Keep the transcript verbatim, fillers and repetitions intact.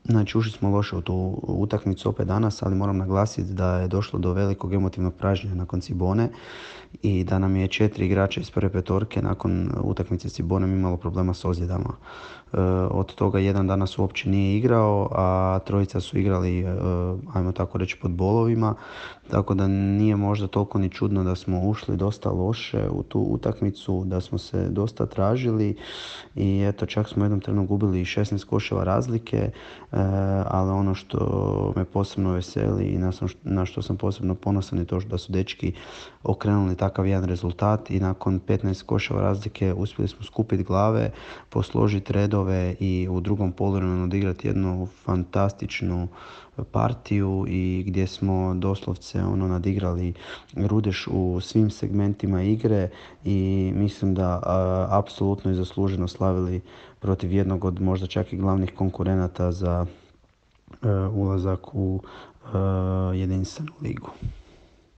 Znači, ušli smo loše u tu utakmicu opet danas, ali moram naglasiti da je došlo do velikog emotivnog pražnjenja nakon Cibone i da nam je četiri igrača iz prve petorke nakon utakmice s Cibonom imalo problema s ozljedama. E, od toga jedan danas uopće nije igrao, a trojica su igrali, e, ajmo tako reći, pod bolovima, tako da nije možda toliko ni čudno da smo ušli dosta loše u tu utakmicu, da smo se dosta tražili i eto, čak smo u jednom trenu gubili šesnaest koševa razlike, e, ali ono što me posebno veseli i na, sam- na što sam posebno ponosan je to da su dečki okrenuli takav jedan rezultat i nakon petnaest koševa razlike uspjeli smo skupiti glave, posložiti redove i u drugom poluvremenu odigrati jednu fantastičnu partiju i gdje smo doslovce ono nadigrali Rudeš u svim segmentima igre i mislim da a, apsolutno i zasluženo slavili protiv jednog od možda čak i glavnih konkurenata za e, ulazak u e, jedinstvenu ligu.